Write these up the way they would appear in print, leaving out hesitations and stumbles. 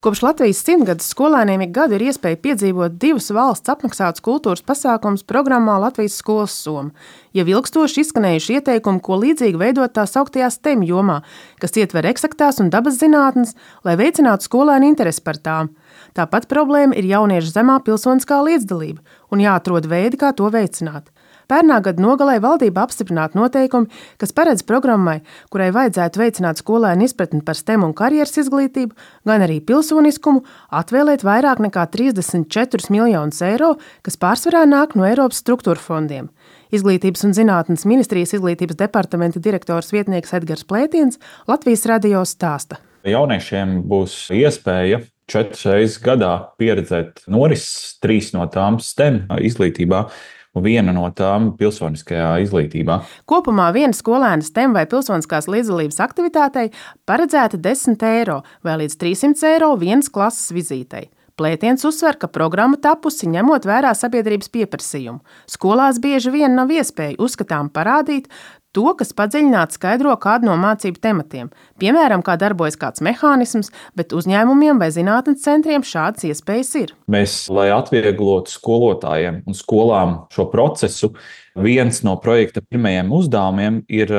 Kopš Latvijas 100-gadus skolēniem ik gadu ir iespēja piedzīvot 2 valsts apmaksātus kultūras pasākumus programmā Latvijas skolas soma. Jau ilgstoši izskanējuši ieteikumi, ko līdzīgi veidot tā sauktajā STEM jomā, kas ietver eksaktās un dabas zinātnes, lai veicinātu skolēnu interesi par tām. Tāpat problēma ir jauniešu zemā pilsoniskā līdzdalība un jāatrod veidi, kā to veicināt. Pērnā gada nogalē valdība apstiprināta noteikumi, kas paredz programmai, kurai vajadzētu veicināt skolēnu izpratni par STEM un karjeras izglītību, gan arī pilsoniskumu, atvēlēt vairāk nekā 34 miljonus eiro, kas pārsvarā nāk no Eiropas struktūra fondiem. Izglītības un zinātnes ministrijas izglītības departamenta direktors vietnieks Edgars Plētiens Latvijas radio stāsta. Jauniešiem būs iespēja 4 reizes gadā pieredzēt norises, 3 no tām STEM izglītībā un 1 no tām pilsoniskajā izglītībā. Kopumā viena skolēna STEM vai pilsoniskās līdzdalības aktivitātei paredzēta 10 eiro vai līdz 300 eiro vienas klases vizītei. Plētiens uzsver, ka programma tapusi ņemot vērā sabiedrības pieprasījumu. Skolās bieži vien nav iespēja uzskatām parādīt to, kas padziļināti skaidro kādu no mācību tematiem, piemēram, kā darbojas kāds mehānisms, bet uzņēmumiem vai zinātnes centriem šādas iespējas ir. Mēs, lai atvieglotu skolotājiem un skolām šo procesu, viens no projekta pirmajiem uzdevumiem ir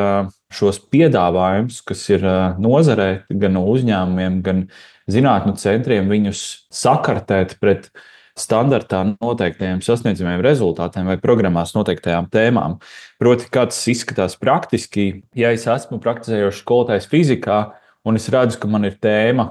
šos piedāvājumus, kas ir nozarē, gan no uzņēmumiem, gan zinātņu centriem, viņus sakartēt pret standartā noteiktajiem sasniedzamiem rezultātiem vai programmās noteiktajām tēmām. Proti, kā tas izskatās praktiski, ja es esmu praktizējošs skolotājs fizikā, un es redzu, ka man ir tēma,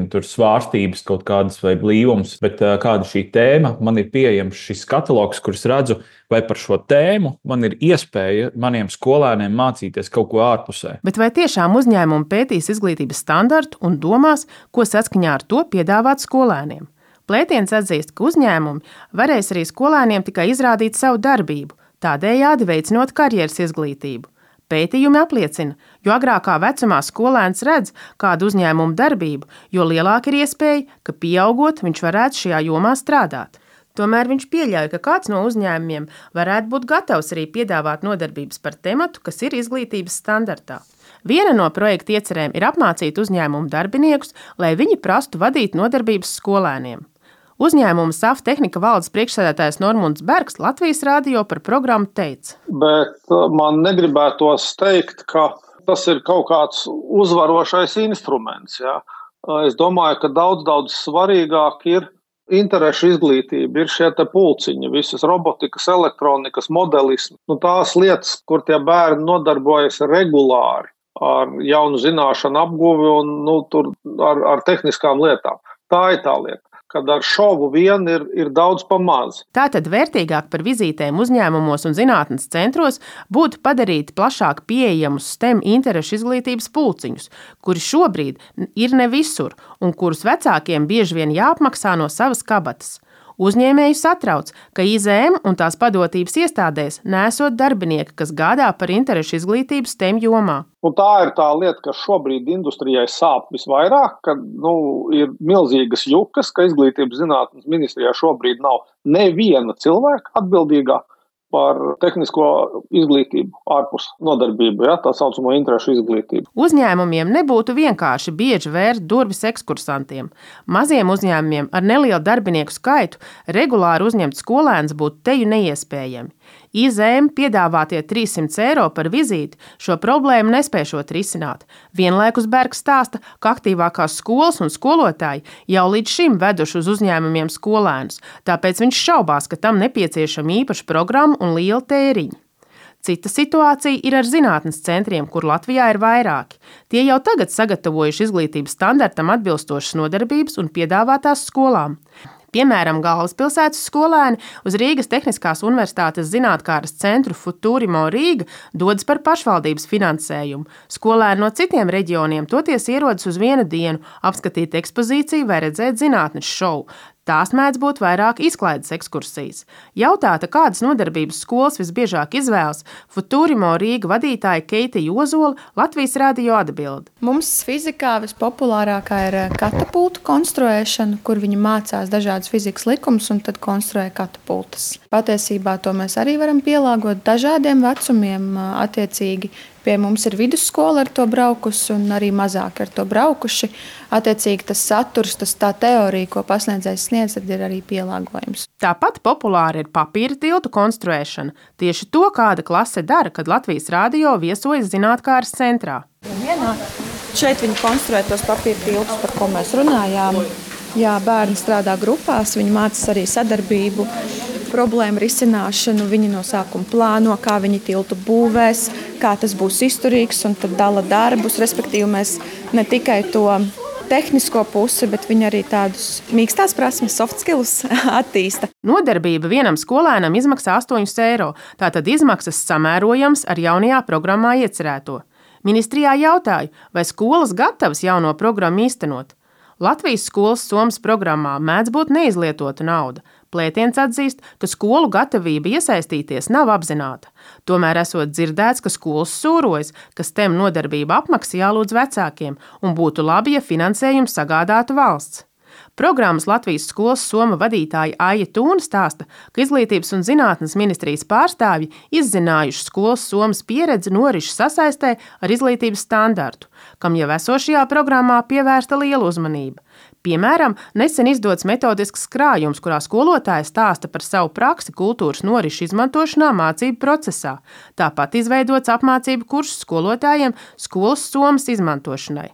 tur svārstības kaut kādas vai blīvums, bet kāda šī tēma, man ir pieejams šis katalogs, kur es redzu, vai par šo tēmu man ir iespēja maniem skolēniem mācīties kaut ko ārpusē. Bet vai tiešām uzņēmumi pētīs izglītības standartu un domās, ko saskaņā ar to piedāvāt skolēniem? Plētiens atzīst, ka uzņēmumi varēs arī skolēniem tikai izrādīt savu darbību, tādējādi veicinot karjeras izglītību. Pētījumi apliecina, jo agrākā vecumā skolēns redz kādu uzņēmumu darbību, jo lielāka ir iespēja, ka pieaugot viņš varētu šajā jomā strādāt. Tomēr viņš pieļauj, ka kāds no uzņēmumiem varētu būt gatavs arī piedāvāt nodarbības par tematu, kas ir izglītības standartā. Viena no projekta iecerēm ir apmācīt uzņēmumu darbiniekus, lai viņi prastu vadīt nodarbības skolēniem. Uzņēmuma SAF tehnika valdes priekšsēdētājs Normunds Bergs Latvijas radio par programmu teica. Bet man negribētos teikt, ka tas ir kaut kāds uzvarošais instruments. Ja? Es domāju, ka daudz svarīgāk ir interešu izglītība, ir šie te pulciņi, visas robotikas, elektronikas, modelismi. Tās lietas, kur tie bērni nodarbojas regulāri ar jaunu zināšanu apguvi un ar tehniskām lietām. Tā ir tā lieta. Kad ar šovu vien ir daudz pa maz. Tātad vērtīgāk par vizītēm uzņēmumos un zinātnes centros būtu padarīt plašāk pieejamus STEM interešu izglītības pulciņus, kuri šobrīd ir ne visur un kurus vecākiem bieži vien jāapmaksā no savas kabatas. Uzņēmēju satrauc, ka IZM un tās padotības iestādēs nesot darbinieki, kas gādā par interešu izglītību STEM jomā. Tā ir tā lieta, kas šobrīd industrijai sāp visvairāk, ka ir milzīgas jukas, ka izglītības zinātnes ministrijā šobrīd nav neviena cilvēka atbildīgā par tehnisko izglītību ārpus nodarbību, tā saucamo interešu izglītību. Uzņēmumiem nebūtu vienkārši bieži vērt durvis ekskursantiem. Maziem uzņēmumiem ar nelielu darbinieku skaitu regulāri uzņemt skolēnus būtu teju neiespējami. IZM piedāvātie 300 eiro par vizīti šo problēmu nespēšot risināt. Vienlaikus Bergs stāsta, ka aktīvākās skolas un skolotāji jau līdz šim veduši uz uzņēmumiem skolēnus, tāpēc viņš šaubās, ka tam nepieciešama īpaša programma un liela tēriņa. Cita situācija ir ar zinātnes centriem, kur Latvijā ir vairāki. Tie jau tagad sagatavojuši izglītības standartam atbilstošas nodarbības un piedāvātās skolām. Piemēram, Galvaspilsētas skolēni uz Rīgas Tehniskās universitātes zinātkāras centru Futurimo Rīga dodas par pašvaldības finansējumu. Skolēni no citiem reģioniem toties ierodas uz 1 dienu, apskatīt ekspozīciju vai redzēt zinātnes šovu. Tās mēdz būt vairāk izklaides ekskursijas. Jautāta, kādas nodarbības skolas visbiežāk izvēlas, Futurimo Rīga vadītāja Keita Jozola Latvijas radio atbild. Mums fizikā vispopulārākā ir katapultu konstruēšana, kur viņi mācās dažādas fizikas likumus un tad konstruē katapultas. Patiesībā to mēs arī varam pielāgot dažādiem vecumiem attiecīgi. Pie mums ir vidusskola ar to braukusi un arī mazāk ar to braukuši. Attiecīgi tas saturs, tā teorija, ko pasniedzējs sniedz, tad ir arī pielāgojums. Tāpat populāra ir papīra tiltu konstruēšana. Tieši to kāda klase dara, kad Latvijas Rādio viesojas zinātkāres centrā. Šeit viņi konstruē tos papīra tiltus, par ko mēs runājām. Jā, bērni strādā grupās, viņi mācās arī sadarbību, problēmu risināšanu. Viņi no sākuma plāno, kā viņi tiltu būvēs, kā tas būs izturīgs, un tad dala darbus. Respektīvi, mēs ne tikai to tehnisko pusi, bet viņi arī tādus mīkstās prasmes, soft skills attīsta. Nodarbība vienam skolēnam izmaksā 8 eiro, tātad izmaksas samērojams ar jaunajā programmā iecerēto. Ministrijā jautāju, vai skolas gatavas jauno programmu īstenot. Latvijas skolas Somas programmā mēdz būt neizlietota nauda. Plētiens atzīst, ka skolu gatavība iesaistīties nav apzināta. Tomēr esot dzirdēts, ka skolas sūrojas, ka STEM nodarbība apmaksa jālūdz vecākiem un būtu labi, ja finansējumu sagādātu valsts. Programmas Latvijas skolas Soma vadītāja Aija Tūna stāsta, ka Izglītības un zinātnes ministrijas pārstāvji izzinājuši skolas Somas pieredzi norišu sasaistē ar izglītības standartu, kam jau esošajā programmā pievērsta liela uzmanība. Piemēram, nesen izdots metodisks krājums, kurā skolotāja stāsta par savu praksi kultūras norišu izmantošanā mācību procesā. Tāpat izveidots apmācību kursus skolotājiem skolas Somas izmantošanai.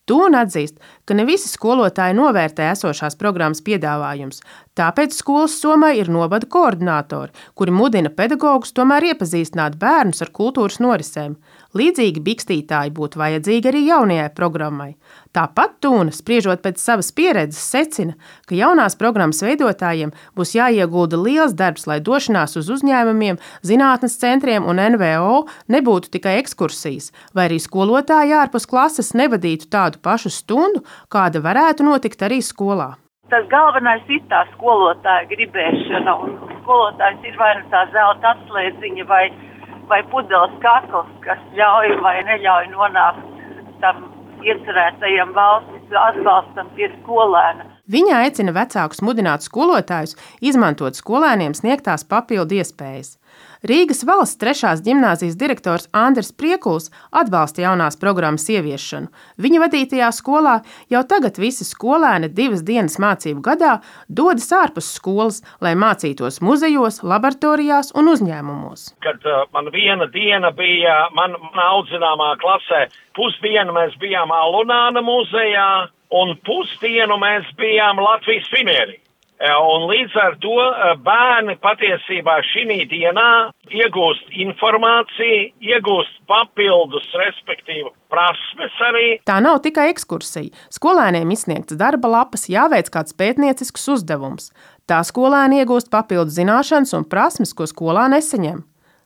Tūna atzīst, ka ne visi skolotāji novērtē esošās programmas piedāvājums, tāpēc skolas Somai ir novada koordinātori, kuri mudina pedagogus tomēr iepazīstināt bērnus ar kultūras norisēm. Līdzīgi bikstītāji būtu vajadzīgi arī jaunajai programmai. Tāpat Tūna, spriežot pēc savas pieredzes, secina, ka jaunās programmas veidotājiem būs jāiegulda liels darbs, lai došanās uz uzņēmumiem, zinātnes centriem un NVO nebūtu tikai ekskursijas, vai arī skolotāji ārpus klases nevadītu tādu pašu stundu, kāda varētu notikt arī skolā. Tas galvenais ir tā skolotāja gribēšana, un skolotājs ir vai nu tā zelta atslēdziņa vai pudeles kakls, kas ļauj vai neļauj nonākt tam iecerētajam valsts atbalstam pie skolēna. Viņa aicina vecākus mudināt skolotājus izmantot skolēniem sniegtās papildu iespējas. Rīgas valsts 3. ģimnāzijas direktors Andris Priekuls atbalsta jaunās programmas ieviešanu. Viņa vadītajā skolā jau tagad visi skolēni 2 dienas mācību gadā dodas ārpus skolas, lai mācītos muzejos, laboratorijās un uzņēmumos. Kad man viena diena bija mana audzināmā klasē, pusdienu mēs bijām Alunāna muzejā un pusdienu mēs bijām Latvijas Finērī. Un līdz ar to bērni patiesībā šī dienā iegūst informāciju, iegūst papildus, respektīvi prasmes arī. Tā nav tikai ekskursija. Skolēniem izsniegts darba lapas, jāveic kāds pētniecisks uzdevums. Tā skolēni iegūst papildus zināšanas un prasmes, ko skolā nesaņem.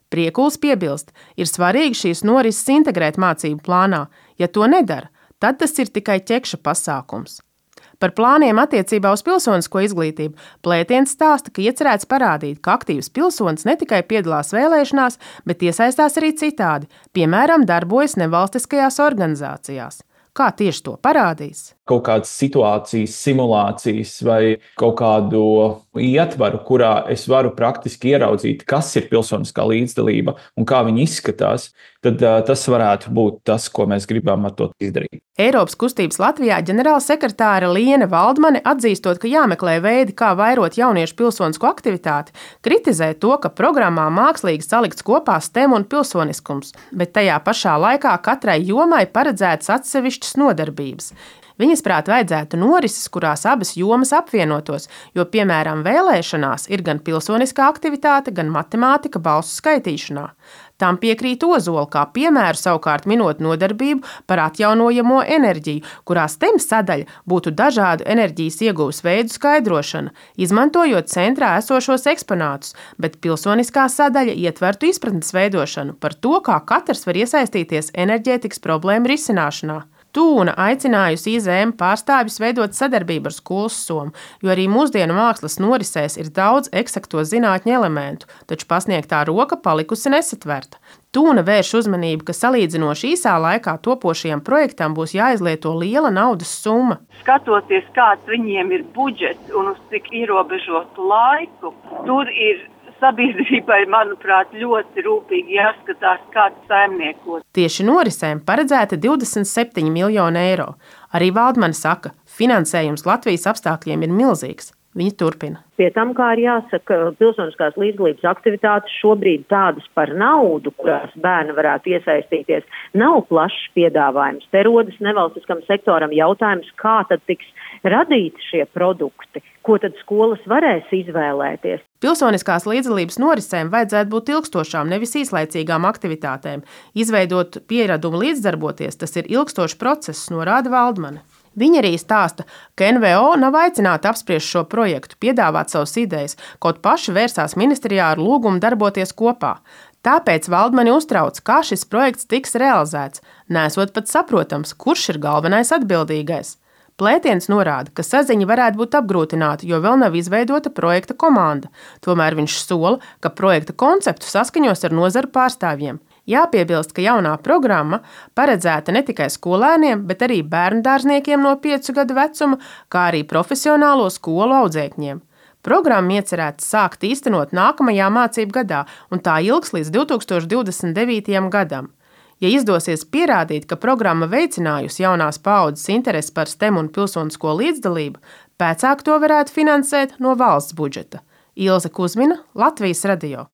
Priekuls piebilst, ir svarīgi šīs norises integrēt mācību plānā. Ja to nedara, tad tas ir tikai ķekša pasākums. Par plāniem attiecībā uz pilsonisko izglītību Plētiens stāsta, ka iecerēts parādīt, ka aktīvs pilsonis ne tikai piedalās vēlēšanās, bet iesaistās arī citādi, piemēram, darbojas nevalstiskajās organizācijās. Kā tieši to parādīs? Kaut kādas situācijas, simulācijas vai kaut kādu ietvaru, kurā es varu praktiski ieraudzīt, kas ir pilsoniskā līdzdalība un kā viņi izskatās, tad tas varētu būt tas, ko mēs gribam ar to izdarīt. Eiropas kustības Latvijā ģenerālsekretāre Liene Valdmane, atzīstot, ka jāmeklē veidi, kā vairot jauniešu pilsonisko aktivitāti, kritizē to, ka programmā mākslīgi salikts kopā STEM un pilsoniskums, bet tajā pašā laikā katrai jomai paredzētas atsevišķas nodarbības. Viņas prāt vajadzētu norises, kurās abas jomas apvienotos, jo, piemēram, vēlēšanās ir gan pilsoniskā aktivitāte, gan matemātika balsu skaitīšanā. Tam piekrīt Ozola, kā piemēru savukārt minot nodarbību par atjaunojamo enerģiju, kurā STEM sadaļa būtu dažādu enerģijas ieguves veidu skaidrošana, izmantojot centrā esošos eksponātus, bet pilsoniskā sadaļa ietvertu izpratnes veidošanu par to, kā katrs var iesaistīties enerģētikas problēmu risināšanā. Tūna aicinājusi IZM pārstāvjus veidot sadarbību ar skolas Somu, jo arī mūsdienu mākslas norisēs ir daudz eksakto zinātņu elementu, taču pasniegtā roka palikusi nesatverta. Tūna vērš uzmanību, ka salīdzinoši īsā laikā topošajam projektam būs jāizlieto liela naudas summa. Skatoties, kāds viņiem ir budžets un uz cik ierobežotu laiku, tur ir sabiedrībai, manuprāt, ļoti rūpīgi jāskatās, kāds saimniekos. Tieši norisēm paredzēta 27 miljoni eiro. Arī Valdmane saka, finansējums Latvijas apstākļiem ir milzīgs. Viņa turpina. Pie tam, kā ir jāsaka, pilsoniskās līdzdalības aktivitātes šobrīd tādas par naudu, kurās bērni varētu iesaistīties, nav plašs piedāvājums. Te rodas nevalstiskam sektoram jautājums, kā tad tiks radīti šie produkti, ko tad skolas varēs izvēlēties. Pilsoniskās līdzdalības norisēm vajadzētu būt ilgstošām, nevis īslaicīgām aktivitātēm. Izveidot pieradumu līdzdarboties, tas ir ilgstošs process, norāda Valdmane. Viņa arī stāsta, ka NVO nav aicināta apspriest šo projektu, piedāvāt savas idejas, kaut paši vērsās ministrijā ar lūgumu darboties kopā. Tāpēc Valdmani uztrauc, kā šis projekts tiks realizēts, nesot pat saprotams, kurš ir galvenais atbildīgais. Plētiens norāda, ka saziņa varētu būt apgrūtināta, jo vēl nav izveidota projekta komanda. Tomēr viņš sola, ka projekta konceptu saskaņos ar nozaru pārstāvjiem. Jāpiebilst, ka jaunā programma paredzēta ne tikai skolēniem, bet arī bērndārzniekiem no 5 gadu vecuma, kā arī profesionālo skolu audzēkņiem. Programma iecerēta sākt īstenot nākamajā mācību gadā, un tā ilgs līdz 2029. gadam. Ja izdosies pierādīt, ka programma veicinājusi jaunās paaudzes interesi par STEM un pilsonisko līdzdalību, pēcāk to varētu finansēt no valsts budžeta. Ilze Kuzmina, Latvijas radio.